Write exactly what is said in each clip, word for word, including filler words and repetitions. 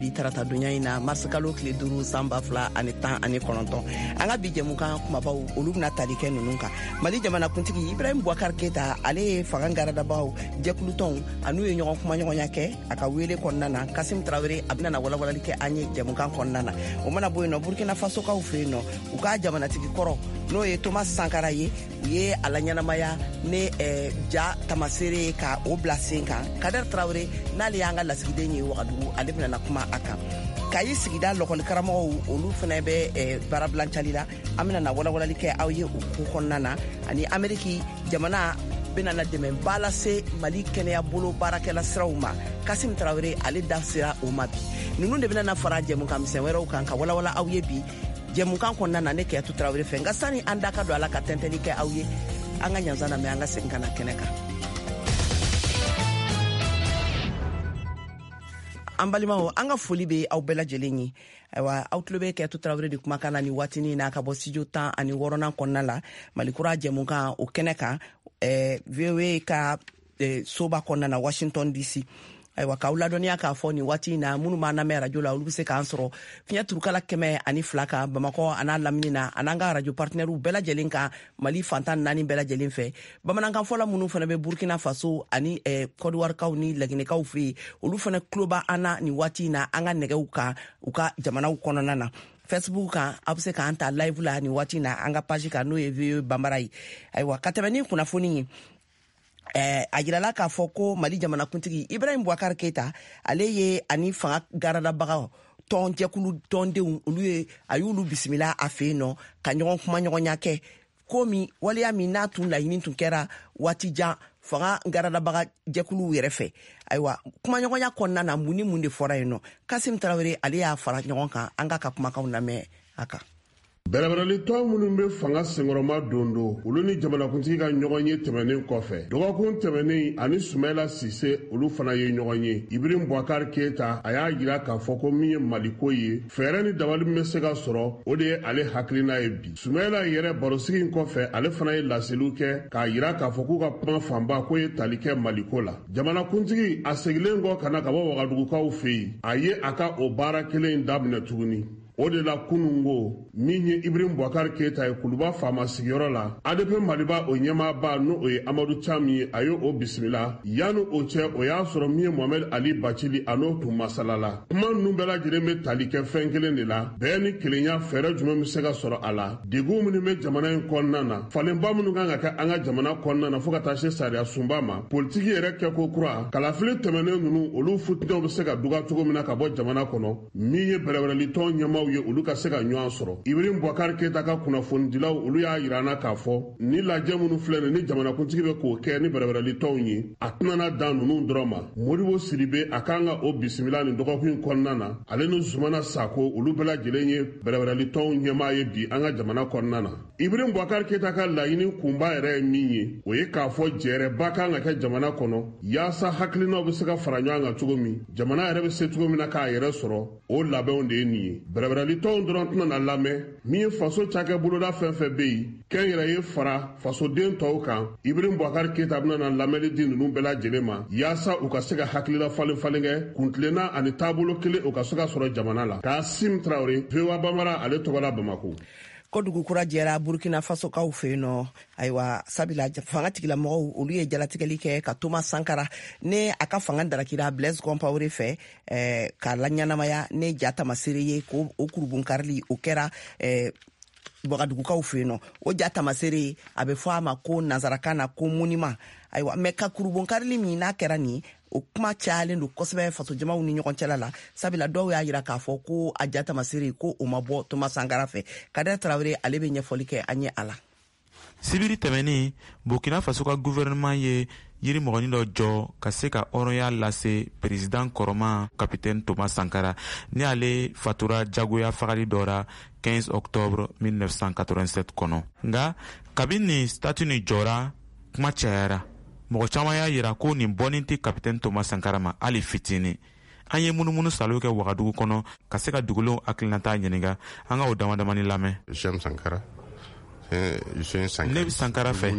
Bi tarata donya in na, mars kalo tile duuru, san ba fila ani tan ani kɔnɔntɔn, an ka bi jɛmukan kumabaw, olu bɛna tali kɛ ninnu kan: Mali jamanakuntigi Ibrahim Boubacar Keita, ale ye fanga garadabagaw jɛkulutɔnw an'u ye ɲɔgɔn kumaɲɔgɔnya kɛ a ka wele kɔnɔna na. Kasim Tarawele, a bɛna na walawalali kɛ an ye jɛmukan kɔnɔna na. O mana bɔ yen nɔ, Burkina Fasokaw fɛ yen nɔ, u ka jamanatigi kɔrɔ, n'o ye Thomas Sankara ye, u ye a laɲɛnamaya ni eh, ja tamasere ye ka o bila sen kan. Kader Tarawele, n'ale y'an ka lasigiden ye Wagadugu, ale bɛna na kuma a kan. Kayi sigida lɔkɔlikaramɔgɔw, olu fana bɛ eh, baarabilancali la. An bɛna na walawalali kɛ aw ye o ko kɔnɔna na. Ani Ameriki jamana bɛna na dɛmɛba lase Mali kɛnɛya bolo baarakɛla siraw ma. Kasim Tarawele, ale da sera o ma bi. Ninnu de bɛna na fara jɛmukan misɛn wɛrɛw kan ka walawala aw ye bi jɛmukan kɔnɔna na, ne Kɛyatu Tarawele fɛ. Nka sani an da ka don a la ka tɛntɛnni kɛ aw ye, an ka ɲansan lamɛn, an ka segin ka na kɛnɛ kan. An balimaw, an ka foli bɛ aw bɛɛ lajɛlen ye. Ayiwa, aw tulo bɛ Kɛyatu Tarawele de kumakan na ni waatinin na, ka bɔ studio tan ani wɔɔrɔnan kɔnɔna la, Malikura jɛmukan o kɛnɛ kan, eh, V O A ka eh, soba kɔnɔna na, Washington D C. Ayiwa, k'aw ladɔnniya k'a fɔ nin waati in na, minnu b'an lamɛn arajo la, olu bɛ se k'an sɔrɔ fiɲɛ turukala kɛmɛ ani fila kan Bamakɔ a n'a lamini na, an'an ka arajo partenaires bɛɛ lajɛlen kan Mali fantan naani bɛɛ lajɛlen fɛ. Bamanankan fɔla minnu fana bɛ Burkina Faso ani eh, Kɔdiwarikaw ni Laginɛkaw fɛ yen, olu fana tulo b'an na nin waati in na an ka nɛgɛw kan u ka jamanaw kɔnɔna na. Facebook kan, aw bɛ se k'an ta live la nin waati in na an ka page kan, n'o ye V O A Banbara ye. Ayiwa, ka tɛmɛ ni kunnafoni ye, eh, a yirala k'a fɔ ko Mali jamanakuntigi Ibrahim Boubacar Keita, ale ye ani fanga garadabagaw tɔn jɛkulu tɔndenw, olu ye a y'olu bisimila a fɛ yen nɔ ka ɲɔgɔn kumaɲɔgɔnya kɛ ko min waleya min n'a tun laɲini tun kɛra waati jan fanga garadabaga jɛkuluw yɛrɛ fɛ. Ayiwa, kumaɲɔgɔnya kɔnɔna na, mun ni mun de fɔra yen nɔ? Kasim Tarawele, ale y'a fara ɲɔgɔn kan. An k'a ka kumakanw lamɛn a kan. Bɛrɛbɛrɛlitɔn minnu bɛ fanga senkɔrɔma don don, olu ni jamanakuntigi ka ɲɔgɔn ye tɛmɛnen kɔfɛ, dɔgɔkun tɛmɛnen, ani Sumayila Sise, olu fana ye ɲɔgɔn ye. Ibrahim Boubacar Keita, a y'a jira k'a fɔ ko min ye Maliko ye, fɛɛrɛ ni dabali min bɛ se ka sɔrɔ, o de ye ale hakilina ye bi. Sumayila yɛrɛ, barosigi in kɔfɛ, ale fana ye laseliw kɛ k'a jira k'a fɔ k'u ka kuma fanba k'o ye tali kɛ Maliko la. Jamanakuntigi, a seginnen kɔ ka na ka bɔ Wagadugukaw fɛ yen, a ye a ka o baara kelen in daminɛ tuguni. O de la, kunun ko min ye Ibrahim Boubacar Keita ye Kuluba faama sigiyɔrɔ la, A D P Maliba o ɲɛmaaba, n'o ye Amadu Cam ye, a ye o bisimila. Yanni o cɛ, o y'a sɔrɔ min ye Mohamed Ali Bacili, a n'o tun masala la. Kuma ninnu bɛɛ lajɛlen bɛ tali kɛ fɛn kelen de la: bɛɛ ni kelenya, fɛɛrɛ jumɛn bɛ se ka sɔrɔ a la, degun minnu bɛ jamana in kɔnɔna na, falenba minnu kan ka kɛ an ka jamana kɔnɔna na, fo ka taa se sariya sunba ma, politiki yɛrɛ kɛko kura, kalafili tɛmɛnen ninnu, olu futinɛw bɛ se ka duga cogo min na ka bɔ jamana kɔnɔ, min ye bɛrɛbɛrɛlitɔn ɲɛmaaw ye, olu ka se ka ɲɔgɔn sɔrɔ. Ibrahim Boubacar Keita ka kunnafonidilaw, olu y'a yira an na k'a fɔ ni lajɛ minnu filɛ nin ni jamanakuntigi bɛ k'o kɛ ni bɛrɛbɛrɛlitɔnw ye, a tɛna na dan ninnu dɔrɔn ma. Modibo Sidibe, a kan ka o bisimila nin dɔgɔkun in kɔnɔna na, ale ni Zumana Sako, olu bɛɛ lajɛlen ye bɛrɛbɛrɛlitɔnw ɲɛmaa ye bi an ka jamana kɔnɔna na. Ibrahim Boubacar Keita ka laɲini kunba yɛrɛ ye min ye, o ye k'a fɔ jɛrɛba kan ka kɛ jamana kɔnɔ, yaasa hakilinaw bɛ se ka fara ɲɔgɔn kan cogo min, jamana yɛrɛ bɛ se cogo min na k'a yɛrɛ sɔrɔ. O labɛnw de ye nin ye. Bɛrɛbɛrɛlitɔnw dɔrɔn tɛna na lamɛn. Min ye faso cakɛ boloda fɛn fɛn bɛ yen, kɛnyɛrɛye fara fasoden tɔw kan, Ibrahim Boubacar Keita bɛna na lamɛnni di ninnu bɛɛ lajɛlen ma, yaasa u ka se ka hakilila falen falen kɛ, kuntilenna ani taabolo kelen, o ka se ka sɔrɔ jamana la. Kasim Tarawele, V O A Bambara, ale tɔgɔ la, Bamako. Ko dugu kura jɛra Burkina Fasokaw fɛ yen nɔ. Ayiwa, sabula fanga tigilamɔgɔw, olu ye jalatigɛli kɛ ka Thomas Sankara ne a ka fanga darakira Blaise Compaoré fɛ, eh, k'a laɲɛnamaya ne ja tamasere ye, ko o kurubunkarili o kɛra eh, Wagadugukaw fɛ yen nɔ. O ja tamasere, a bɛ fɔ a ma ko nansarakan na ko monument. Ayiwa, mɛ ka kurubunkarili min n'a kɛra nin, o kuma cayalen don kosɛbɛ fasojamaw ni ɲɔgɔn cɛla la, sabula dɔw y'a yira k'a fɔ ko a ja tamasere ko o ma bɔ Thomas Sankara fɛ. Kader Tarawele, ale bɛ ɲɛfɔli kɛ an ye a la. Sibiri tɛmɛnin, Burkina Faso ka gouvernement ye yiri mɔgɔnin dɔ jɔ ka se ka hɔrɔnya lase président kɔrɔma capitaine Thomas Sankara, ni ale fatura jagoya fagali dɔ ra quinze octobre mille neuf cent quatre-vingt-sept kɔnɔ. Nga kabini nin statue nin jɔra, kuma cayara. Mɔgɔ caman y'a yira ko nin bɔnin tɛ capitaine Thomas Sankara ma hali fitinin. An ye munumunu salo kɛ Wagadugu kɔnɔ ka se ka dugulenw hakilinata ɲininga. An ka o dama damani lamɛn. Ne bɛ Sankara fɛ.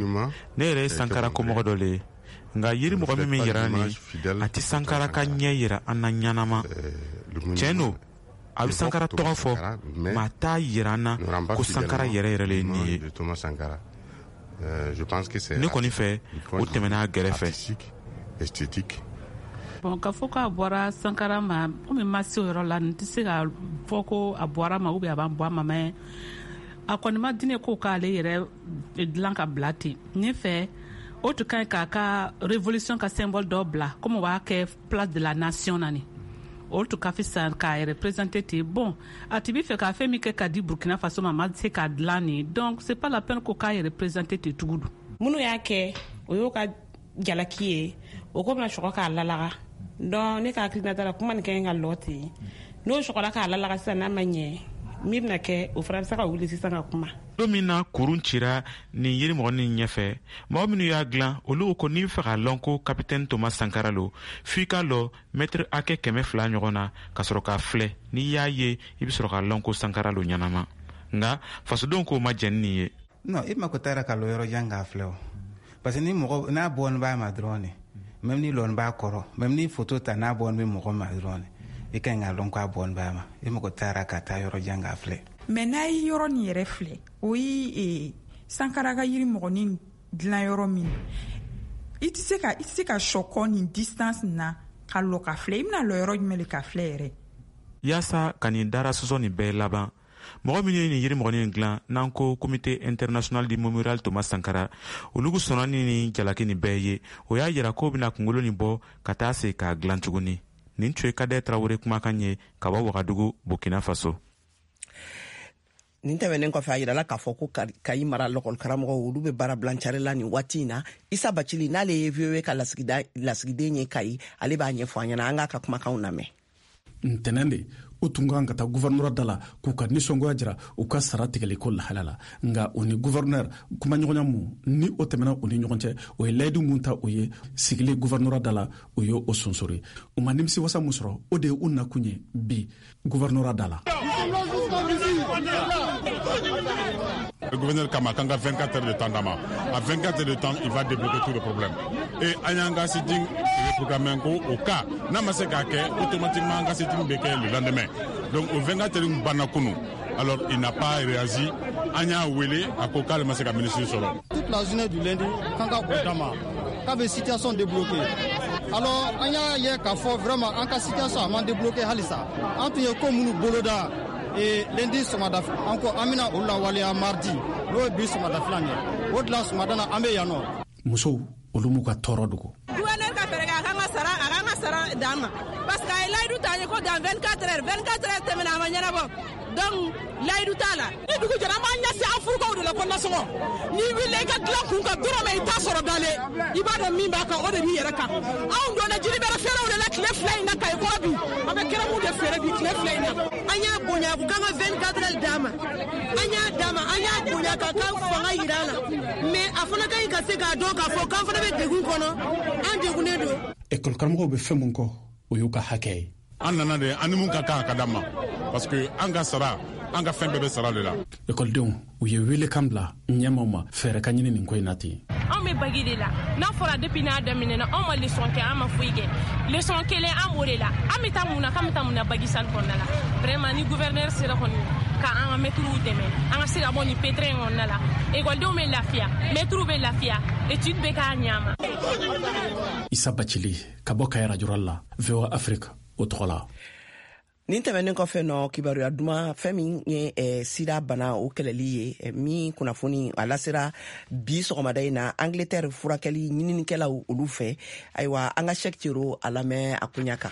Ne yɛrɛ ye Sankara komɔgɔ dɔ le ye. Nka yiri mɔgɔ min yira nin, a tɛ Sankara ka ɲɛ yira an na ɲanama. Tiɲɛ don, a bɛ Sankara tɔgɔ fɔ, mais a t'a yira an na ko Sankara yɛrɛ yɛrɛ le ye nin ye. Ne kɔni fɛ, o tɛmɛna a gɛrɛfɛ. Bon, k'a fɔ k'a bɔra Sankara ma, komi ma se o yɔrɔ la, n tɛ se ka fɔ ko a bɔra ma ou bien a b'an bɔ a ma, mais a kɔni ma di ne ko k'ale yɛrɛ dilan ka bila ten. Ne fɛ, o tun ka ɲi k'a ka révolution ka symbole dɔ bila, komi o b'a kɛ Place de la Nation na nin, o tun ka fisa k'a yɛrɛ présenter ten. Bon, a tun bɛ fɛ k'a fɛn min kɛ ka di Burkina Faso ma, a ma se k'a dilan nin, donc c'est pas la peine ko k'a yɛrɛ présenter ten tugun. Minnu y'a kɛ, o y'o ka jalaki ye, o ko bɛna sɔgɔ k'a lalaga. Donc ne ka hakilinata la, kuma nin ka ɲi ka lɔ ten. N'o sɔgɔla k'a lalaga sisan, n'a ma ɲɛ, min bɛna kɛ, o fana bɛ se ka wuli sisan ka kuma. Don min na kurun cira nin yirimɔgɔnin ɲɛfɛ, mɔgɔ minnu y'a dilan, olu ko n'i bɛ fɛ k'a lɔn ko Capitaine Thomas Sankara lo, f'i k'a lɔ mɛtiri hakɛ kɛmɛ fila ɲɔgɔn na ka sɔrɔ k'a filɛ. N'i y'a ye, i bɛ sɔrɔ k'a lɔn ko Sankara lo ɲɛnama. Nka fasodenw k'o ma jɛn ni nin ye. Non, i mako taara ka lɔ yɔrɔ jan k'a filɛ o, parce que ni mɔgɔ n'a bɔn b'a ma dɔrɔn de, même ni lɔn b'a kɔrɔ, même ni photo ta n'a bɔn bɛ mɔgɔ ma dɔrɔn de, i ka ɲi k'a lɔn k'a bɔn b'a ma. I mako taara ka taa yɔrɔ jan k'a filɛ. Mais n'a ye yɔrɔ nin yɛrɛ filɛ, o ye Sankara ka yiri mɔgɔnin dilan yɔrɔ min, i tɛ se ka i tɛ se ka sɔkɔ nin distance na ka lɔ ka filɛ. I bɛna lɔ yɔrɔ jumɛn de ka filɛ yɛrɛ? Yaasa ka nin dara sɔsɔ nin bɛɛ laban, mɔgɔ minnu ye nin yirimɔgɔnin dilan, n'an ko Comité international du mémorial Thomas Sankara, olu sɔnna ni nin jalaki nin bɛɛ ye. O y'a yira k'o bɛna kunkolo nin bɔ ka taa se k'a dilan tuguni. Nin tun ye Kadɛ Tarawele kumakan ye ka bɔ Wagadugu, Burkina Faso. Nin tɛmɛnen kɔfɛ, a yirala k'a fɔ ko Kayi mara lɔkɔlikaramɔgɔw, olu bɛ baara bilancari la nin waati in na. Isa Bacili, n'ale ye V O A ka lasigiden ye Kayi, ale b'a ɲɛfɔ an ɲɛna. An k'a ka kumakanw lamɛn. Ntɛnɛn de o tun kan ka taa guvɛrnɛr da la k'u ka nisɔngoya jira u ka sara tigɛliko lahala la. Nka o ni guvɛrnɛr kumaɲɔgɔnya mun ni o tɛmɛna u ni ɲɔgɔn cɛ, o ye layidu mun ta o ye sigili guvɛrnɛr da la, o ye o sonsori. U ma nimisi wasa mun sɔrɔ, o de ye u nakun ye bi guvɛrnɛr da la. Le gouverneur Kama, quand il a vingt-quatre heures de temps, à vingt-quatre heures de temps, il va débloquer tous les problèmes. Et an ka sit-in programmé au cas, n'a ma se k'a kɛ, automatiquement an ka sit-in bɛ kɛ le lendemain. Donc au vingt-quatre heures banna kunu. Alors il n'a pas réagi. An y'a wele, a ko k'ale ma se ka ministre sɔrɔ. Toute la journée du lundi, kan ka o d'a ma, k'a bɛ situation débloquer. Alors an y'a ye k'a fɔ vraiment an ka situation a ma débloquer halisa. An tun ye ko minnu boloda et lundi sɔgɔmada, an ko an bɛna olu lawaleya mardi, n'o ye bi sɔgɔmada filan ye. O de la sɔgɔmada na an bɛ yan nɔ. Musow, olu m'u ka tɔɔrɔ dogo. Gouverneur ka fɛɛrɛ kɛ, a k'an ka sara, a k'an ka sara d'an ma, parce que a ye layidu ta an ye ko dans vingt-quatre heures, vingt-quatre heures tɛmɛna, a ma ɲɛnabɔ, donc layidu t'a la. Ni dugu jɛra, an b'an ɲɛsin an furukaw de la ko nasɔngɔ. N'i wulila i ka dilan kun kan dɔrɔn, i t'a sɔrɔ dalen, i b'a dɔn min b'a kan, o de b'i yɛrɛ kan. Anw donna jiribɛrɛ feerew de la tile fila in na Kayi kɔrɔ bi, an bɛ kɛrɛmu de feere bi tile fila in na. An y'a bonya, a ko k'an ka vingt-quatre heures d'a ma, an y'a d'a ma, an y'a bonya k'a ka fanga yira a la, mais a fana ka ɲi ka se k'a dɔn k'a fɔ k'an fana bɛ degun kɔnɔ, an degunnen don. Ekɔli karamɔgɔw bɛ fɛn mun kɔ, o y'u ka hakɛ ye. An nana de, an ni mun ka kan ka d'an ma, parce que an ka sara, an ka fɛn bɛɛ bɛ sara de la. Ekɔlidenw, u ye welekan bila ɲɛmaw ma, fɛɛrɛ ka ɲini nin ko in na ten. Anw bɛ bac de la. N'a fɔra depuis n'a daminɛna, anw ma leçon kɛ, an ma foyi kɛ. Leçon kelen an b'o de la. An bɛ taa mun na, k'an bɛ taa mun na bac salle kɔnɔna la? Vraiment, ni gouverneur sera kɔni ka an ka mɛtiriw dɛmɛ, an ka se ka bɔ nin pétrin in kɔnɔna la, ekɔlidenw bɛ lafiya, mɛtiriw bɛ lafiya, étude bɛ k'a ɲɛ ma. Isa Bacili ka bɔ Kayi radio la, V O A Afrique o tɔgɔ la. Nin tɛmɛnen kɔfɛ nɔ, kibaruya duman, fɛn min ye eh, sida bana o kɛlɛli ye, eh, min kunnafoni a lasera bi sɔgɔmada in na Angleterre furakɛli ɲininikɛlaw olu fɛ. Ayiwa, an ka Sɛk Cero a lamɛn a koɲa kan.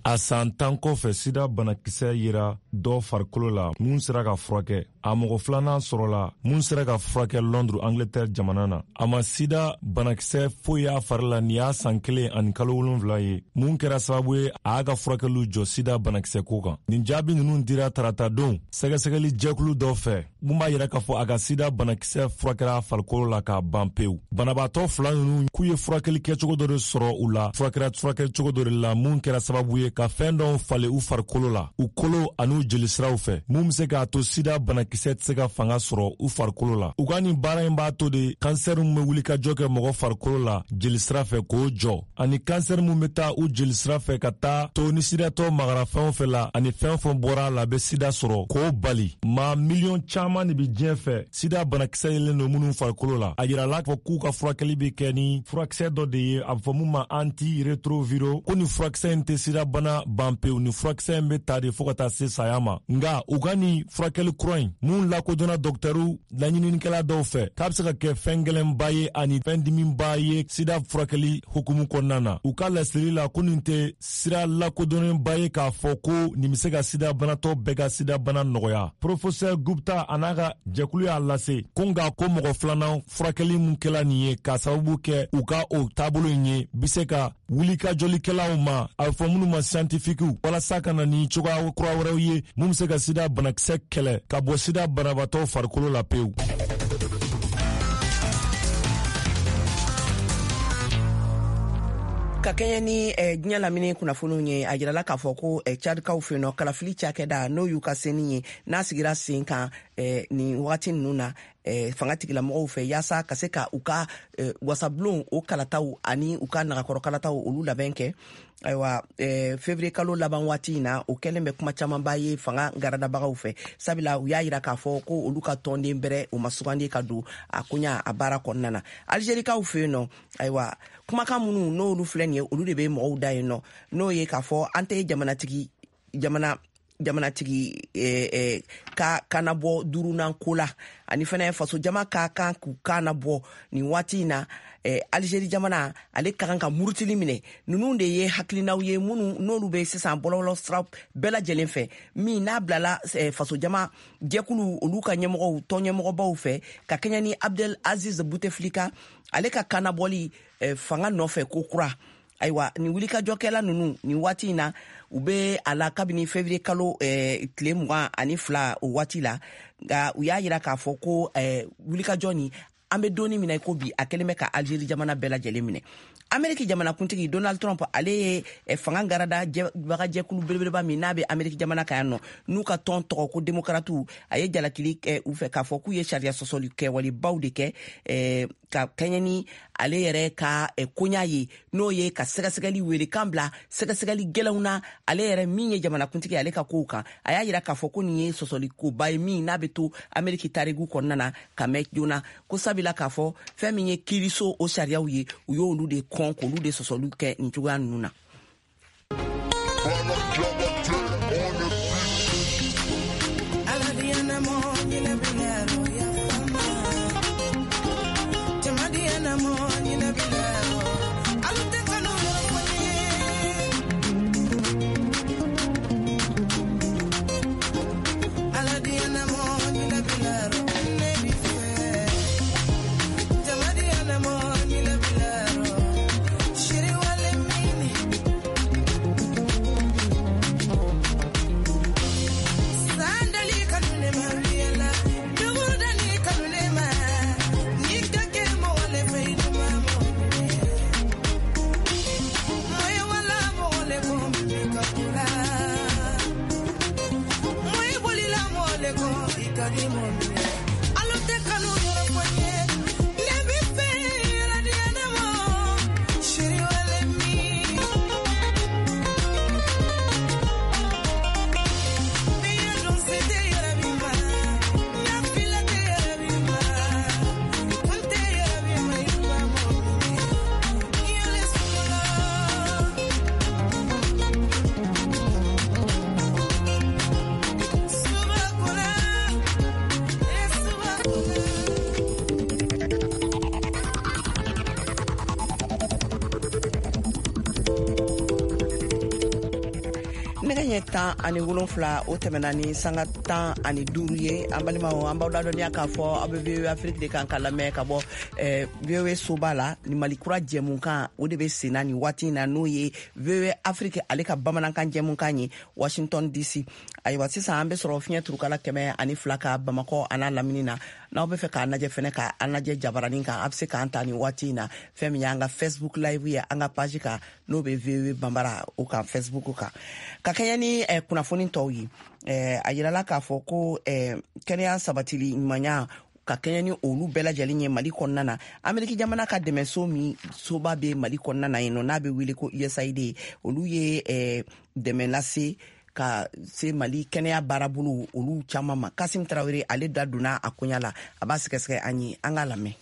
A san tan kɔfɛ, sida banakisɛ yera dɔ farikolo la mun sera ka furakɛ. A mɔgɔ filanan sɔrɔla mun sera ka furakɛ Londres, Angleterre jamana na. A ma sida banakisɛ foyi y'a fari la. Nin y'a san kelen ani kalo wolonfila ye mun kɛra sababu ye a y'a ka furakɛliw jɔ sida banakisɛ ko kan. Nin jaabi nunu dira tarata don sɛgɛsɛgɛli jɛkulu dɔ fɛ. mun b'a yira k'a fɔ a ka sida banakisɛ furakɛra farikolo la k'a ban pewu. Banabaatɔ fila ninnu k'u ye furakɛli kɛcogo dɔ de sɔrɔ u la, furakɛra furakɛli cogo dɔ de la mun kɛra sababu ye ka fɛn dɔw falen u farikolo la, u kolo an'u jelisiraw fɛ, mun bɛ se k'a to sida banakisɛ tɛ se ka fanga sɔrɔ u farikolo la. U ka nin baara in b'a to de kansɛri min bɛ wuli ka jɔ kɛ mɔgɔ farikolo la jelisira fɛ k'o jɔ, ani kansɛri min bɛ taa u jelisira fɛ ka taa to ni sidatɔ magara fɛn o fɛn la ani fɛn o fɛn bɔra a la bɛ sida sɔrɔ k'o bali. Maa miliyɔn caman de bɛ diɲɛ fɛ sida banakisɛ yelen don minnu farikolo la. A yirala k'a fɔ k'u ka furakɛli bɛ kɛ ni furakisɛ dɔ de ye, a bɛ fɔ mun ma anti-retroviro, ko nin furakisɛ in tɛ sida bana ban pewu, nin furakisɛ in bɛ ta de fo ka taa se saya ma. Nka u ka nin furakɛli kura in mun lakodɔnna dɔkitɛriw laɲininikɛla dɔw fɛ k'a bɛ se ka kɛ fɛn gɛlɛnba ye ani fɛn dimiba ye sida furakɛli hukumu kɔnɔna na. U ka laseli la ko nin tɛ sira lakodɔnnenba ye k'a fɔ ko nin bɛ se ka sida banatɔ bɛɛ ka sida bana nɔgɔya. Professeur Gupta a n'a ka jɛkulu y'a lase ko nka ko mɔgɔ filanan furakɛli mun kɛla nin ye k'a sababu kɛ u ka o taabolo in ye bɛ se ka wulikajɔlikɛlaw ma, a bɛ fɔ minnu ma scientifiquew, walasa ka na ni cogoya kura wɛrɛw ye mun bɛ se ka sida banakisɛ kɛlɛ ka bɔ sida banabaatɔ farikolo la pewu. Ka kɛɲɛ ni eh, diɲɛ lamini kunnafoniw ye, a jirala k'a fɔ ko eh, Tchadkaw fɛ nɔ kalafili cakɛda n'o y'u ka seni ye n'a sigira sen kan eh, nin wagati ninnu na eh, fanga tigilamɔgɔw fɛ yaasa ka se ka u ka eh, wasabulon o kalataw ani u ka nagakɔrɔ kalataw olu labɛn kɛ. Ayiwa, eh, février kalo laban waati in na, o kɛlen bɛ kuma camanba ye fanga garadabagaw fɛ, sabula u y'a yira k'a fɔ ko olu ka tɔnden bɛrɛ o ma sugandi ka don a koɲa a baara kɔnɔna na. Algérikaw fɛ yen nɔ, ayiwa, kumakan minnu n'olu filɛ nin ye, olu de bɛ mɔgɔw da yen nɔ, n'o ye k'a fɔ an tɛ jamanatigi jamana jamanatigi eh, eh, ka kana bɔ duurunan ko la, ani fɛnɛ faso jama ka kan k'u kana bɔ nin waati in na. Eh, Algérie jamana ale ka kan ka murutili minɛ. Ninnu de ye hakilinaw ye minnu n'olu bɛ sisan bɔlɔlɔ sira bɛɛ lajɛlen fɛ, min n'a bilala eh, faso jama jɛkulu olu ka ɲɛmɔgɔw tɔn ɲɛmɔgɔbaw fɛ ka kɛɲɛ ni Abdel Aziz Bouteflika ale ka kanabɔli eh, fanga nɔfɛ ko kura. Ayiwa, nin wulikajɔkɛla ninnu nin waati in na u bɛ a la kabini février kalo eh, tile mugan ani fila o waati la, nka u y'a yira k'a fɔ ko eh, wulikajɔ nin an bɛ donni min na i ko bi, a kɛlen bɛ ka Algérie jamana bɛɛ lajɛlen minɛ. Ameriki jamanakuntigi Donald Trump ale ye fanga garada bagajɛkulu belebeleba min n'a bɛ Ameriki jamana kan yan nɔ, n'u ka tɔn tɔgɔ ko Demokratiw, a ye jalakili kɛ u fɛ k'a fɔ k'u ye sariya sɔsɔli kɛwalebaw de kɛ eh, ka kɛɲɛ ni ale yɛrɛ ka eh, koɲa ye, n'o ye ka sɛgɛsɛgɛli welekan bila sɛgɛsɛgɛli gɛlɛnw na ale yɛrɛ min ye jamanakuntigi ale ka kow kan. A y'a yira k'a fɔ ko nin ye sɔsɔli koba ye min n'a bɛ to Ameriki tariku kɔnɔna na ka mɛn joona, ko sabula k'a fɔ fɛn min ye kiiriso o sariyaw ye, u y'olu de kɔn k'olu de sɔsɔliw kɛ nin cogoya ninnu na. Yes. ɲɛ tan ani wolonfila o tɛmɛna ni sanga tan ani duuru ye. An balimaw, an b'aw ladɔnniya k'a fɔ aw bɛ V O A Afrique de kan ka lamɛn ka bɔ eh, V O A soba la. Ni Mali kura jɛmukan o de bɛ sen na nin waati in na, n'o ye V O A Afrique ale ka bamanankan jɛmukan ye Washington D C. Ayiwa, sisan an bɛ sɔrɔ fiɲɛ turukala kɛmɛ ani fila ka Bamakɔ a n'a lamini na. N'aw bɛ fɛ k'an lajɛ fɛnɛ, k'an lajɛ jabaranin kan, a bɛ se k'an ta nin waati in na. Fɛn min y'an ka Facebook live ye an ka page kan, n'o bɛ V O A Banbara o kan Facebook kan. Ka kɛɲɛ ni eh, kunnafoni tɔw ye, eh, a yirala k'a fɔ ko eh, kɛnɛya sabatili ɲumanya ka kɛɲɛ ni olu bɛɛ lajɛlen ye Mali kɔnɔna na, Ameriki jamana ka dɛmɛso min soba bɛ Mali kɔnɔna na yen nɔ, n'a bɛ wele ko U S A I D, olu ye eh, dɛmɛ lase ka se Mali kɛnɛya baarabolo olu caman ma. Kasim Tarawele ale da donna a koɲa la, a b'a sɛgɛsɛgɛ an ye, an k'a lamɛn.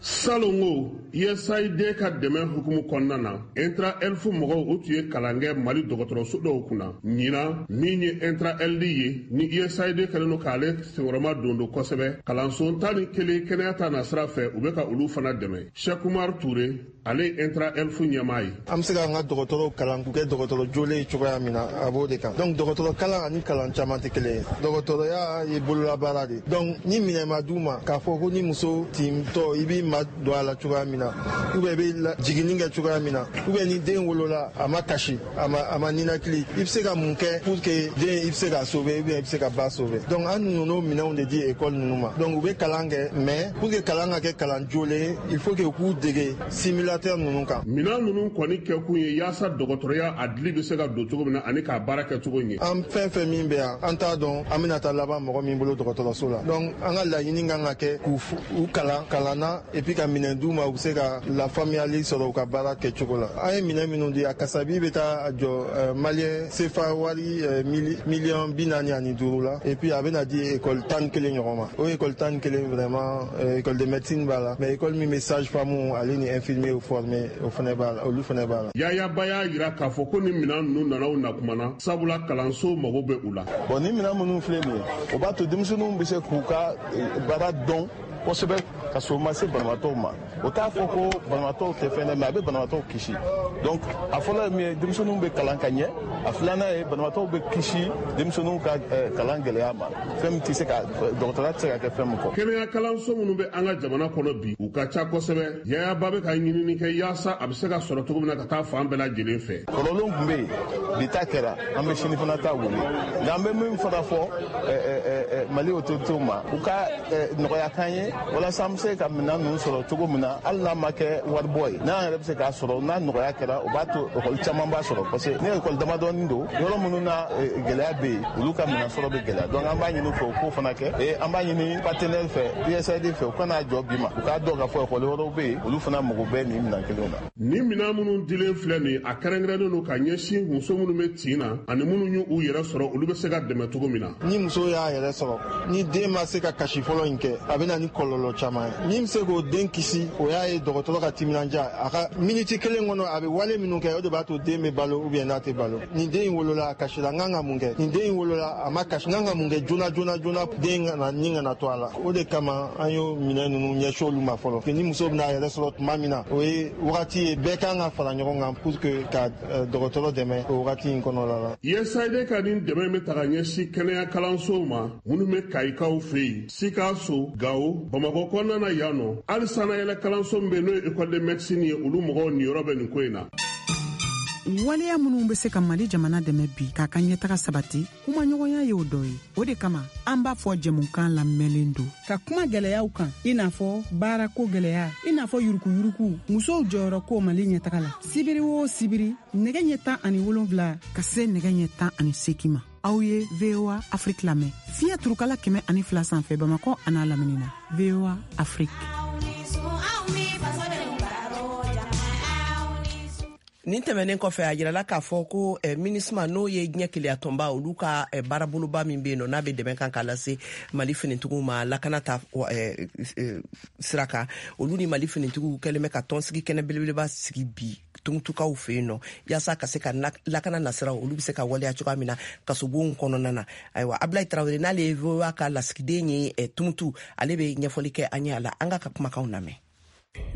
Salongo U S A I D ka dɛmɛ hukumu kɔnɔna na, Intra Health mɔgɔw o tun ye kalan kɛ Mali dɔgɔtɔrɔso dɔw kunna. Ɲinan min ye Intra Health ye, ni U S A I D kɛlen don k'ale senkɔrɔma don don kosɛbɛ, kalanso tan ni kelen kɛnɛya ta nasira fɛ, u bɛ ka olu fana dɛmɛ. Cheikh Oumar Touré, ale ye Intra Health ɲɛmaa ye. An bɛ se k'an ka dɔgɔtɔrɔw kalan k'u kɛ dɔgɔtɔrɔ jolen ye cogoya min na, a b'o de kan. Donc dɔgɔtɔrɔ kalan ani kalan caman tɛ kelen ye. Dɔgɔtɔrɔya ye bololabaara de. Donc ni minɛn ma d'u ma k'a fɔ ko ni muso tintɔ i b'i ma don a la cogoya min na, ou bien i bɛ jiginni kɛ cogoya min na, ou bien ni den wolola a ma kasi, a ma a ma ninakili, i bɛ se ka mun kɛ pour que den i bɛ se k'a sauver ou bien i bɛ se ka ba sauver. Donc an nana minɛnw de di école ninnu ma. Donc u bɛ kalan kɛ, mais pour que kalan ka kɛ kalan jolen, il faut que u k'u dege simulateur ninnu kan. Minɛn ninnu kɔni kɛkun ye yaasa dɔgɔtɔrɔya a dili bɛ se ka don cogo min na ani k'a baara kɛ cogo ɲɛ. An fɛn fɛn min bɛ yan, an t'a dɔn an bɛna taa laban mɔgɔ min bolo dɔgɔtɔrɔso la. Donc an ka laɲini kan ka kɛ k'u u kalan kalan na et puis ka minɛn d'u ma, u bɛ se ka lafaamuyali sɔrɔ u ka baara kɛcogo la. An ye minɛn minnu di, a kasabi bɛ taa jɔ maliyɛn sefa wari miliyɔn bi naani ani duuru la, et puis a bɛna di école tan ni kelen ɲɔgɔn ma. O école tan ni kelen vraiment école de médecine b'a la, mais école min bɛ sage femme ale ni infirmier formé o fana b'a la, olu fana b'a la. Yaya Ba y'a yira k'a fɔ ko ni minɛn ninnu nana u na kuma na, sabula kalanso mago bɛ u la. Bon, ni minɛn minnu filɛ nin ye, o b'a to denmisɛnninw bɛ se k'u ka baara dɔn kosɛbɛ ka sɔrɔ u ma se banabaatɔw ma. O t'a fɔ ko banabaatɔw tɛ fɛn dɛ, mais a bɛ banabaatɔw kisi. Donc a fɔlɔ ye min ye, denmisɛnninw bɛ kalan ka ɲɛ. A filanan ye, banabaatɔw bɛ kisi denmisɛnninw ka kalan gɛlɛya ma, fɛn min tɛ se ka dɔgɔtɔrɔya tɛ se ka kɛ fɛn min kɔ. Kɛnɛya kalanso minnu bɛ an ka jamana kɔnɔ bi, u ka ca kosɛbɛ. Yaya Ba bɛ ka ɲinini kɛ yaasa a bɛ se ka sɔrɔ cogo min na ka taa fan bɛɛ lajɛlen fɛ. Kɔrɔlenw tun bɛ yen, bi ta kɛra, an bɛ sini fana ta wele. Nka an bɛ min fana fɔ Mali autorités ma, u ka nɔgɔya k'an ye walasa an bɛ se ka minɛn ninnu sɔrɔ cogo min na, hali n'a ma kɛ waribɔ ye, n'an yɛrɛ bɛ se k'a sɔrɔ, n'a nɔgɔya kɛra, o b'a to ekɔli caman b'a sɔrɔ. Parce que ni ekɔli damadɔni don, yɔrɔ minnu na gɛlɛya bɛ yen, olu ka minɛn sɔrɔ bɛ gɛlɛya. Donc an b'a ɲini u fɛ u k'o fana kɛ. Et an b'a ɲini partenaire fɛ, U S A I D fɛ, u kana jɔ bi ma, u k'a dɔn k'a fɔ ekɔli wɛrɛw bɛ yen, olu fana mago bɛ nin minɛn kelenw na. Nin minɛn minnu dilen filɛ nin, a kɛrɛnkɛrɛnnen don ka ɲɛsin muso minnu bɛ tin na ani minnu y'u yɛrɛ sɔrɔ, olu bɛ se ka dɛmɛ cogo min na. Ni muso y'a yɛrɛ sɔrɔ, ni den ma se ka kasi fɔlɔ in kɛ, a bɛ na ni kɔlɔlɔ caman ye. Min bɛ se k'o den kisi, o y'a ye dɔgɔtɔrɔ ka timinandiya, a ka miniti kelen kɔnɔ a bɛ wale minnu kɛ, o de b'a to den bɛ balo ou bien n'a tɛ balo. Nin den in wolola a kasira, n kan ka mun kɛ? Nin den in wolola a ma kasi, n kan ka mun kɛ joona joona joona den kana ni kana to a la. O de kama an y'o minɛn ninnu ɲɛsin olu ma fɔlɔ. Ni muso bɛna a yɛrɛ sɔrɔ tuma min na, o ye wagati ye bɛɛ kan ka fara ɲɔgɔn kan pour que ka dɔgɔtɔrɔ dɛmɛ o wagati in kɔnɔna la. U S A I D ka nin dɛmɛ bɛ ta ka ɲɛsin kɛnɛya kalansow ma minnu bɛ Kayikaw fɛ yen, Sikaso, Gawo, Bamakɔ kɔnɔna na yan nɔ, hali sanayɛlɛ kalanso min bɛ yen n'o ye école de médecine ye, olu mɔgɔw niyɔrɔ bɛ nin ko in na. Waleya minnu bɛ se ka Mali jamana dɛmɛ bi k'a ka ɲɛtaga sabati, kumaɲɔgɔnya y'o dɔ ye. O de kama an b'a fɔ jɛmukan lamɛnlen don ka kuma gɛlɛyaw kan, i n'a fɔ baarako gɛlɛya, i n'a fɔ yurukuyuruku, musow jɔyɔrɔ ko Mali ɲɛtaga la. Sibiri o sibiri, nɛgɛ ɲɛ tan ani wolonfila ka se nɛgɛ ɲɛ tan ani seegin ma, aw ye V O A Afrique lamɛn fiɲɛ turukala kɛmɛ ani fila sanfɛ Bamakɔ an'a lamini na. V O A Afrique. Nin tɛmɛnen kɔfɛ, a yirala k'a fɔ ko eh, MINUSMA, n'o ye diɲɛ keleyatɔnba, olu ka eh, baaraboloba min bɛ yen nɔ, n'a bɛ dɛmɛ kan k'a lase Mali finitigiw ma lakana ta eh, eh, sira kan, olu ni Mali finitigiw kɛlen bɛ ka tɔnsigi kɛnɛ belebeleba sigi bi Tumutukaw fɛ yen nɔ, yaasa ka se ka lakana nasiraw olu bɛ se ka waleya cogoya min na kasobonw kɔnɔna na. Ayiwa, Abulayi Tarawele, n'ale ye V O A ka lasigiden ye eh, Tumutu, ale bɛ ɲɛfɔli kɛ an ye a la. An k'a ka kumakanw lamɛn.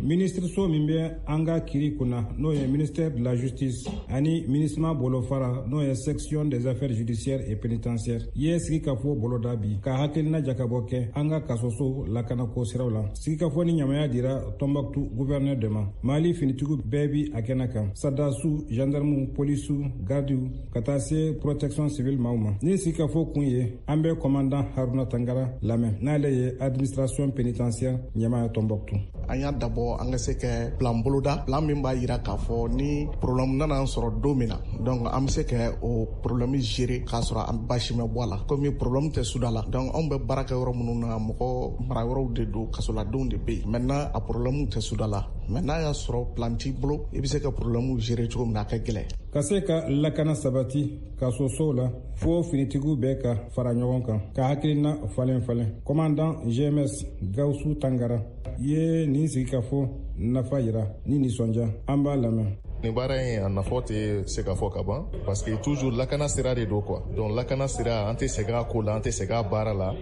Minisiriso min bɛ an ka kiri kunna, n'o ye ministère de la justice, ani MINUSMA bolofara, n'o ye section des affaires judiciaires et pénitentiaires, ye sigikafɔ boloda bi ka hakilina jakabɔ kɛ an ka kasoso lakanako siraw la. Sigikafɔ ni ɲamaya dira Tombouctou gouverneur de ma. Mali finitigiw bɛɛ bi a kɛnɛ kan, sɔrɔdasiw, gendarmew, polisiw, gardiw, ka taa se protection civile maaw ma. Ni sigikafɔ kun ye, an bɛ commandant Haruna Tangara lamɛn, n'ale ye administration pénitentiaire ɲɛmaa ye Tombouctou. An y'a dabɔ an ka se kɛ plan boloda, plan min b'a yira k'a fɔ ni problème nana an sɔrɔ don min na, donc an bɛ se kɛ o problème gérer k'a sɔrɔ an baasi ma bɔ a la. Komi problème tɛ suda la, donc anw bɛ baara kɛ yɔrɔ minnu na, mɔgɔ mara yɔrɔw de don, kasoladenw de bɛ yen. Maintenant a problème tɛ suda la, mais n'a y'a sɔrɔ plan t'i bolo, i bɛ se ka problème gérer cogo min na, a ka gɛlɛn. Ka se ka lakana sabati kasosow la, fo finitigiw bɛɛ ka fara ɲɔgɔn kan ka hakilina falen falen. Commandant G M S Gawusu Tangara ye nin sigikafɔ nafa yira ni nisɔndiya. An b'a lamɛn. Nin baara in, a nafa tɛ se ka fɔ ka ban, parce que toujours lakana sira de don quoi. Donc lakana sira, an tɛ sɛgɛn a ko la, an tɛ sɛgɛn a baara la.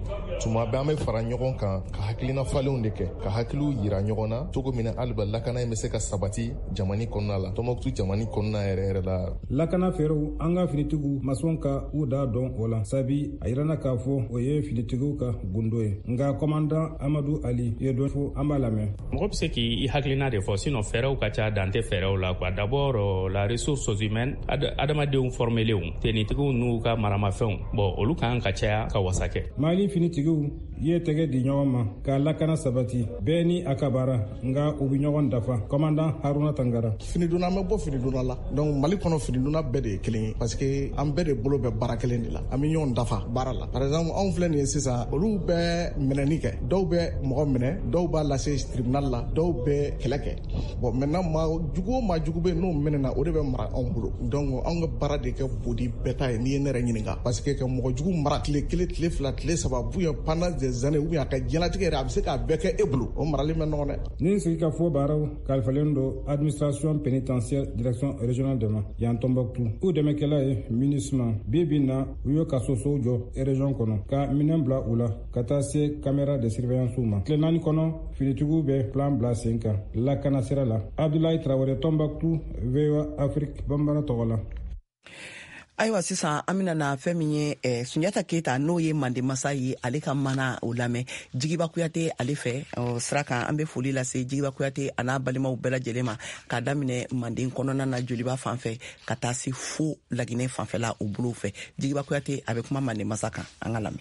Tuma bɛɛ an bɛ fara ɲɔgɔn kan ka hakilina falenw de kɛ, ka hakiliw yira ɲɔgɔn na cogo min na haliba lakana in bɛ se ka sabati jamana kɔnɔna la, Tɔnbɔkutu jamana kɔnɔna yɛrɛ yɛrɛ la. Lakana fɛɛrɛw, an ka finitigiw ma sɔn ka u da dɔn o la, sabi a yirana k'a fɔ o ye finitigiw ka gundo ye. Nka commandant Amadu Ali ye dɔ fɔ, an b'a lamɛn. Mɔgɔ bɛ se k'i hakilina de fɔ, sinon fɛɛrɛw ka ca, dan tɛ fɛɛrɛw la quoi. D'abord la ressource humaine, adamadenw formelenw, tenitigiw n'u ka maramafɛnw, bon, olu kan ka caya ka wasa kɛ. Mali finitigiw ye tɛgɛ di ɲɔgɔn ma ka lakana sabati, bɛɛ ni a ka baara, nka u bɛ ɲɔgɔn dafa. Commandant Haruna Tangara. Finidonna, an bɛ bɔ finidonna la. Donc Mali kɔnɔ, finidonna bɛɛ de ye kelen ye, parce que an bɛɛ de bolo bɛ baara kelen de la, an bɛ ɲɔgɔn dafa baara la. Par exemple, anw filɛ nin ye sisan, olu bɛ minɛni kɛ, dɔw bɛ mɔgɔ minɛ, dɔw b'a lase tribunal la, dɔw bɛ kɛlɛ kɛ. Bon, maintenant maa jugu o maa jugu bɛ yen n'o minɛna, o de bɛ mara anw bolo. Donc anw ka baara de kɛ bodi bɛɛ ta ye, n'i ye ne yɛrɛ ɲininka, parce que ka mɔgɔ jugu mara tile kelen, tile fila, tile saba, ou bien pendant des années, ou bien a ka diɲɛlatigɛ yɛrɛ, a bɛ se k'a bɛɛ kɛ e bolo, o marali ma nɔgɔn dɛ. Nin sigikafɔ baaraw kalifalen don administration pénitentiaire direction régionale de ma yan Tombouctou. U dɛmɛkɛla ye MINUSMA. Bi bi na, u ye kasosow jɔ région kɔnɔ, ka minɛn bila u la, ka taa se caméra de surveillance ma. Tile naani kɔnɔ, finitigiw bɛ plan bila sen kan lakana sira la. Abdoulaye Traoré, Tombouctou, V O A Afrique Bambara tɔgɔ la. Ayiwa, sisan an bɛna na fɛn min ye eh, Sunjata Keyita, n'o ye Mande masa ye, ale ka mana o lamɛn. Jigiba Kuyate ale fɛ sira kan. An bɛ foli lase Jigiba Kuyate a n'a balimaw bɛɛ lajɛlen ma, k'a daminɛ Manden kɔnɔna na, Joliba fan fɛ, ka taa se fo Laginɛ fanfɛla o bolow fɛ. Jigiba Kuyate, a bɛ kuma Mande masa kan, an ka lamɛn.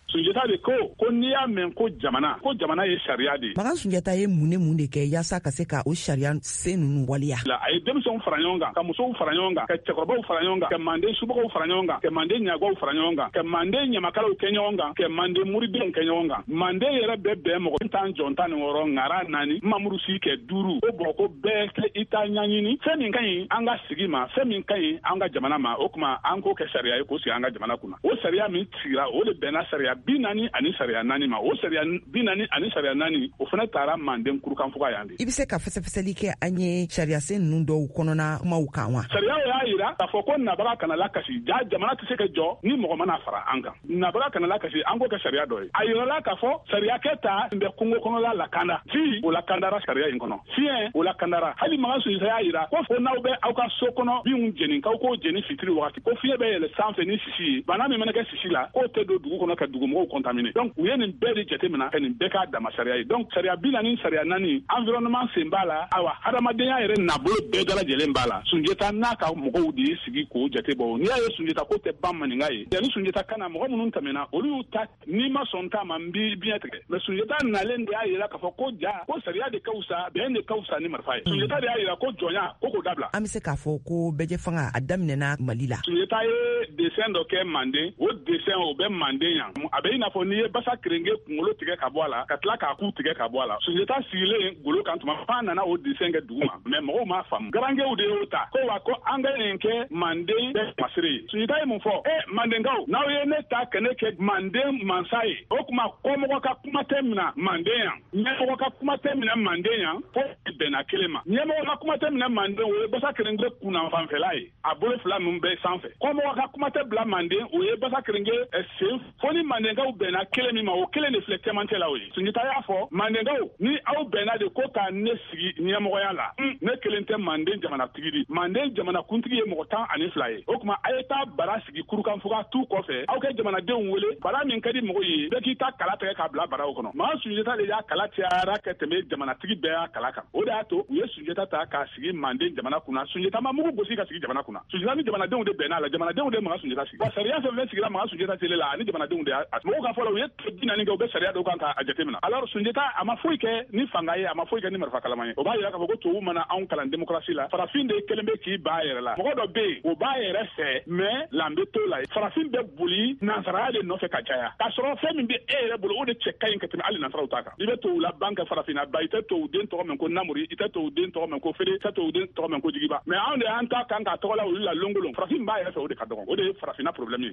Sunjata de ko ko n'i y'a mɛn ko jamana, ko jamana ye sariya de ye. Makan Sunjata ye mun ne mun de kɛ yaasa ka se ka o sariya sen ninnu waleya? A ye denmisɛnw fara ɲɔgɔn kan, ka musow fara ɲɔgɔn kan, ka cɛkɔrɔbaw fara ɲɔgɔn kan, ka manden subagaw fara ɲɔgɔn kan, ka manden ɲagaw fara ɲɔgɔn kan, ka manden ɲamakalaw kɛ ɲɔgɔn kan, ka manden muridenw kɛ ɲɔgɔn kan. Manden yɛrɛ bɛɛ bɛn mɔgɔ tan, jɔn tan ni wɔɔrɔ, ŋara naani, mamuru si kɛ duuru. O bɔn ko bɛɛ kɛ i ta ɲaɲini fɛn min ka ɲi an ka sigi ma, fɛn min ka ɲi an ka jamana ma. O tuma an k'o kɛ sariya ye k'o sigi an ka jamana kunna. O sariya min sigira, o de bɛnna sariya bi naani ani sariya naani ma. O sariya bi naani ani sariya naani, o fana taara Manden kurukanfuga yan de. I bɛ se ka fɛsɛfɛsɛli kɛ an ye sariyasen ninnu dɔw kɔnɔna kumaw kan wa? Sariya y'a yira k'a fɔ ko nabaga kana lakasi. Ja jamana tɛ se ka jɔ ni mɔgɔ mana fara an kan. Nabaga kana lakasi, an k'o kɛ sariya dɔ ye. A yirala k'a fɔ sariyakɛ ta bɛ kungo kɔnɔla lakanda, ji o lakandara sariya in kɔnɔ, fiɲɛ o lakandara. Hali Makan Sunjata y'a yira ko fo n'aw bɛ aw ka so kɔnɔ binw jeni, k'aw k'o jeni fitiri wagati, ko fiɲɛ bɛ yɛlɛ sanfɛ ni sisi ye, bana min mana kɛ sisi la, k'o tɛ don dugu kɔnɔ ka dugumɔgɔw contaminer. Donc u ye nin bɛɛ de jateminɛ ka nin bɛɛ k'a dama sariya ye. Donc sariya bi naani, sariya naani, environnement sen b'a la, ayiwa, hadamadenya yɛrɛ nabolo bɛɛ dalajɛlen b'a la. Sunjata n'a ka mɔgɔw de ye sigi k'o jate bɔ. N'i y'a ye Sunjata ko tɛ ban maninka ye, yanni Sunjata ka na, mɔgɔ minnu tɛmɛna, olu y'u ta n'i ma sɔn ta ma, n b'i biɲɛ tigɛ. Mais Sunjata nalen de y'a yira k'a fɔ ko ja ko sariya de ka fisa, bɛn de ka fisa ni marifa ye. Sunjata de y'a yira ko jɔnya ko k'o dabila. An bɛ se k'a fɔ ko bɛɛjɛ fanga a daminɛna Mali la? Sunjata ye dessin dɔ kɛ Manden. O dessin o bɛ Manden yan. A bɛ i n'a fɔ n'i ye basa kerenge kunkolo tigɛ ka bɔ a la, ka tila k'a ku tigɛ ka bɔ a la. Sunjata sigilen golo kan tuma f'a nana o dessin kɛ dugu ma, mais mɔgɔw m'a faamu. Garankew de y'o ta ko wa ko an ka nin kɛ Manden bɛɛ masiri ye. Sunjata ye mun fɔ? E Mandenkaw, n'aw ye ne ta ka ne kɛ Manden mansa ye, o tuma kɔmɔgɔ ka kuma tɛ minɛ Manden yan, ɲɛmɔgɔ ka kuma tɛ minɛ Manden yan, fo bɛnna kelen ma. Ɲɛmɔgɔ ka kuma tɛ minɛ Manden, o ye basa kerenge kunnanfanfɛla ye, a bolo fila min bɛ sanfɛ. Kɔmɔgɔ ka kuma tɛ bila Manden, o ye basa kerenge sen, fo ni Manden Mandenkaw bɛnna kelen min ma, o kelen de filɛ cɛmancɛ la o ye. Sunjata y'a fɔ Mandenkaw, ni aw bɛnna de ko ka ne sigi ɲɛmɔgɔya la, ne kelen tɛ Manden jamanatigi di. Manden jamanakuntigi ye mɔgɔ tan ani fila ye. O tuma a ye taa bara sigi Kurukanfuga tu kɔfɛ, aw kɛ jamanadenw wele, bara min ka di mɔgɔ ye, bɛɛ k'i ta kala tigɛ k'a bila baraw kɔnɔ. Maa Sunjata de y'a kala cayara ka tɛmɛ jamanatigi bɛɛ y'a kala kan. O de y'a to u ye Sunjata ta k'a sigi Manden jamana kunna. Sunjata ma mugu gosi ka sigi jamana kunna. Sunjata ni jamanadenw de bɛnna a la, jamanadenw de Makan Sunjata sigi. Wa sariya fɛn fɛn sigira Makan Sunjata tele la, ani jamanadenw de y'a mɔgɔw ka fɔ la, u ye tile bi naani kɛ, u bɛ sariya dɔw kan k'a jateminɛ. Alors Sunjata a ma foyi kɛ ni fanga ye, a ma foyi kɛ ni marifa kalama ye. O b'a yira k'a fɔ ko tubabu mana anw kalan démocratie la, farafin de kelen bɛ k'i ba yɛrɛ la. Mɔgɔ dɔ bɛ yen, o b'a yɛrɛ fɛ, mais lanbe t'o la. Farafin bɛ boli nansaraya de nɔfɛ ka caya, k'a sɔrɔ fɛn min bɛ e yɛrɛ bolo, o de cɛ ka ɲi ka tɛmɛ hali nansaraw ta kan. I bɛ tubabu la ban kɛ farafinna ba, i tɛ tubabu den tɔgɔ mɛn ko Namori, i tɛ tubabu den tɔgɔ mɛn ko Fede, i tɛ tubabu den tɔgɔ mɛn ko Jigiba. Mais anw de y'an ta kan k'a tɔgɔ la olu la longolon. Farafin b'a yɛrɛ fɛ, o de ka dɔgɔn. O de ye farafinna problème ye.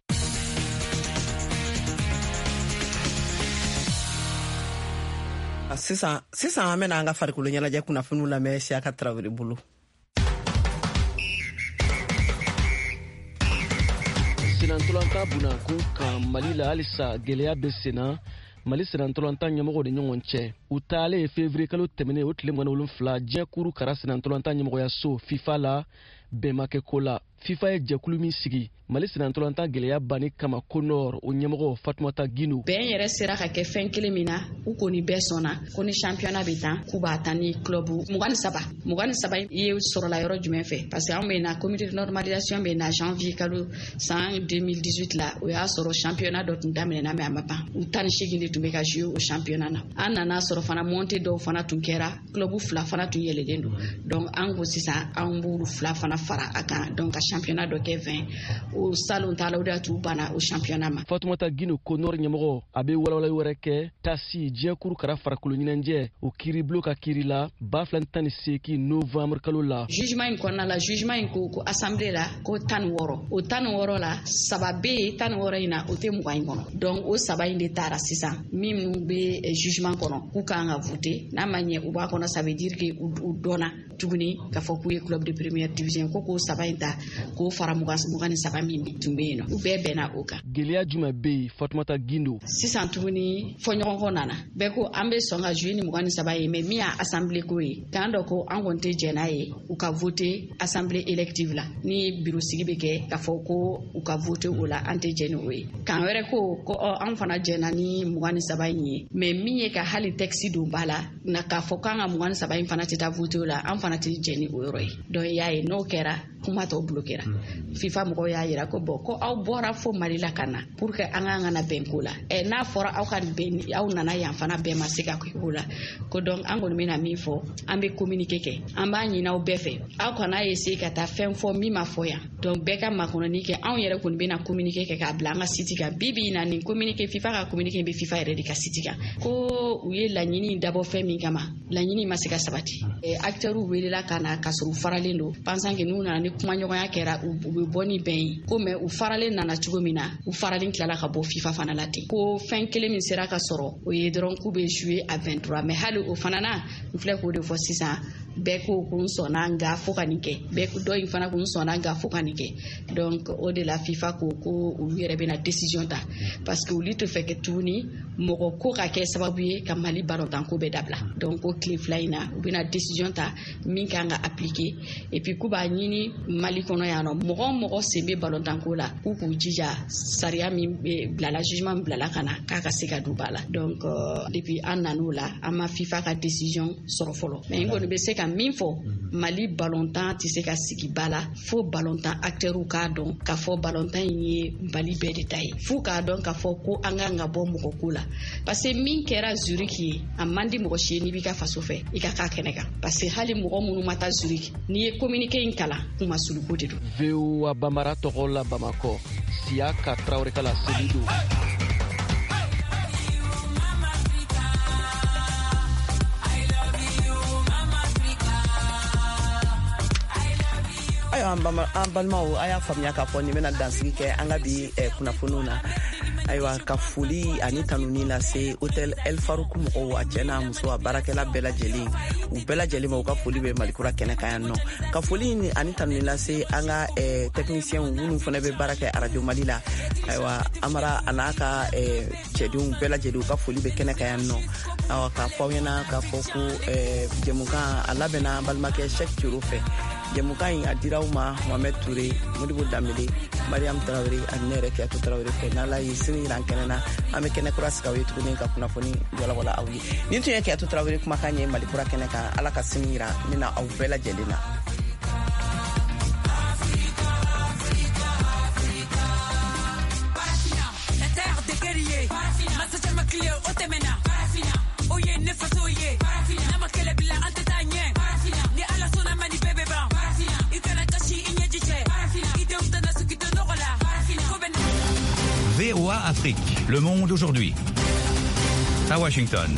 Sisan sisan an bɛna an ka farikolo ɲɛnajɛ kunnafoniw lamɛn Siyaka Tarawele bolo. Senantolantan bunakun kan Mali la, halisa gɛlɛya bɛ senna Mali senantolantan ɲɛmɔgɔw de ɲɔgɔn cɛ. U taalen ye février kalo tɛmɛnen o tile mugan ni wolonfila diɲɛ kuru kara senantolantan ɲɛmɔgɔyaso FIFA la, bɛn ma kɛ ko la. FIFA ye jɛkulu min sigi Mali senantolantan gɛlɛya banni kama CONOR, o ɲɛmɔgɔ Fatumata Gino. Bɛn yɛrɛ sera ka kɛ fɛn kelen min na, u kɔni bɛɛ sɔnna ko ni championnat bɛ tan, k'u b'a tan ni club mugan ni saba. Mugan ni saba ye sɔrɔla yɔrɔ jumɛn fɛ? Parce que anw bɛ na comité de normalisation bɛ na janvier kalo san deux mille dix-huit la, o y'a sɔrɔ championnat dɔ tun daminɛna mais a ma ban. U tan ni seegin de tun bɛ ka jouer o championnat na. An nana sɔrɔ fana montée dɔw fana tun kɛra, club fila fana tun yɛlɛlen don. Donc an ko sisan an b'olu fila fana fara a kan, donc ka championnat dɔ kɛ vingt. O salon ta la, o de y'a t'u banna o championnat ma. Fatumata Gino CONOR ɲɛmɔgɔ, a bɛ walawalali wɛrɛ kɛ tasi diɲɛ kuru kara farikolo ɲɛnajɛ o kiiribulon ka kiiri la ba fila ni tan ni seegin novembre kalo la. Jugement in kɔnɔna la, jugement in ko ko assemblée la ko tan ni wɔɔrɔ, o tan ni wɔɔrɔ la saba bɛ yen, tan ni wɔɔrɔ in na o tɛ mugan in kɔnɔ. Donc o saba in de taara sisan minnu bɛ jugement kɔnɔ k'u kan ka voter, n'a ma ɲɛ u b'a kɔnɔ, ça veut dire que u dɔnna tuguni k'a fɔ k'u ye club de première division, ko k'o saba in ta k'o fara mugan mugan ni saba min tun bɛ yen nɔ, u bɛɛ bɛnna o kan. Gɛlɛya jumɛn bɛ yen Fatumata Gindo? Sisan tuguni fɔɲɔgɔnkɔ nana, bɛɛ ko an bɛ sɔn ka jouer ni mugan ni saba ye, mais min y'a assemblée ko ye, k'an dɔ ko an kɔni tɛ jɛn n'a ye u ka voter assemblée élective la, ni bureau sigi bɛ kɛ k'a fɔ ko u ka voter o la, an tɛ jɛn ni o ye. K'an wɛrɛ ko ko ɔ an fana jɛnna ni mugan ni saba in ye, mais min ye ka hali texte don ba la na k'a fɔ k'an ka mugan ni saba in fana tɛ taa voter o la, an fana tɛ jɛn ni o yɔrɔ ye. Donc i y'a ye n'o kɛra kuma tɔ bloquera. FIFA mɔgɔw y'a yira ko bon ko aw bɔra fo Mali la ka na pour que an k'an kana bɛn ko la, ɛ n'a fɔra aw ka bɛn, aw nana yan fana bɛn ma se ka kɛ ko la, ko donc an kɔni bɛna min fɔ, an bɛ communiqué kɛ, an b'a ɲini aw bɛɛ fɛ, aw kana essayer ka taa fɛn fɔ min ma fɔ yan, donc bɛɛ ka makɔnɔni kɛ, anw yɛrɛ kɔni bɛna communiqué kɛ k'a bila an ka site kan. Bi bi in na nin communiqué FIFA ka communiqué bɛ FIFA yɛrɛ de ka site kan, ko u ye laɲini dabɔ fɛn min kama, laɲini ma se ka sabati. Acteurs welela ka na k'a sɔrɔ u faralen don, pensant que n'u nana ni kumaɲɔgɔnya kɛra u bɛ bɔ ni bɛn ye, ko mais u faralen nana cogo min na, u faralen tilala ka bɔ FIFA fana la ten. Ko fɛn kelen min sera ka sɔrɔ o ye dɔrɔn k'u bɛ jouer à vingt-trois, mais hali o fana na n filɛ k'o de fɔ sisan, bɛɛ ko ko n sɔnna nka fo ka nin kɛ, bɛɛ dɔ in fana ko n sɔnna nka fo ka nin kɛ. Donc o de la FIFA ko ko olu yɛrɛ bɛna décision ta, parce que olu tɛ fɛ kɛ tuguni mɔgɔ ko ka kɛ sababu ye ka Mali balontan ko bɛɛ dabila. Donc o tile fila in na u bɛna décision ta min kan ka appliquer, et puis k'u b'a ɲini Mali kɔnɔ yan nɔ, mɔgɔ o mɔgɔ sen bɛ balontan ko la k'u k'u jija sariya min bilala, jugement min bilala ka na k'a ka se ka don ba la. Donc euh, depuis an nan'o la, an ma FIFA ka décision sɔrɔ fɔlɔ, mais n kɔni bɛ se ka min fɔ, Mali balontan tɛ se ka sigi ba la fo balontan acteurs k'a dɔn k'a fɔ balontan in ye Mali bɛɛ de ta ye, f'u k'a dɔn k'a fɔ ko an kan ka bɔ mɔgɔ ko la, parce que min kɛra Zurich ye a man di mɔgɔ si ye n'i b'i ka faso fɛ i ka k'a kɛnɛ kan, parce que hali mɔgɔ minnu ma taa Zurich, n'i ye communiqué in kalan kuma suluko de don. V O A Bambara tɔgɔ la Bamakɔ, Siyaka Tarawele ka laseli don. Ayiwa an balimaw, a y'a faamuya k'a fɔ nin bɛna dansigi kɛ an ka bi kunnafoniw na. Ayiwa, ka foli ani tanuni lase Hôtel El Farouk mɔgɔw, a cɛ n'a muso, a baarakɛla bɛɛ lajɛlen, u bɛɛ lajɛlen ma, u ka foli bɛ Malikura kɛnɛ kan yan nɔ. Ka foli ani tanuni lase an ka eh, techniciens minnu fana bɛ baara kɛ Radio Mali la. Ayiwa, Amara a n'a ka eh, cɛdenw bɛɛ lajɛlen, u ka foli bɛ kɛnɛ kan yan nɔ. Awa, k'a fɔ aw ɲɛna k'a fɔ ko eh, jɛmukan a labɛnna balimakɛ Cheick Thioro fɛ. Jɛmukan in a dira aw ma Mohamed Touré, Modibo Danbele, Mariam Traoré ani ne yɛrɛ Kiyatu Traoré fɛ. N'Ala ye sini yira an kɛnɛ na, an bɛ kɛnɛ kura sigi aw ye tuguni ka kunnafoni walawala aw ye. Nin tun ye Kiyatu Traoré kumakan ye Malikura kɛnɛ kan. Ala ka sini yira ne na aw bɛɛ lajɛlen na. V O A Afrique, Le Monde aujourd'hui. À Washington.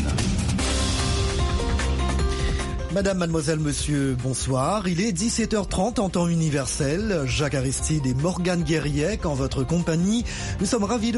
Madame, mademoiselle, monsieur, bonsoir. Il est dix-sept heures trente en temps universel. Jacques Aristide et Morgane Guerriec en votre compagnie. Nous sommes ravis de vous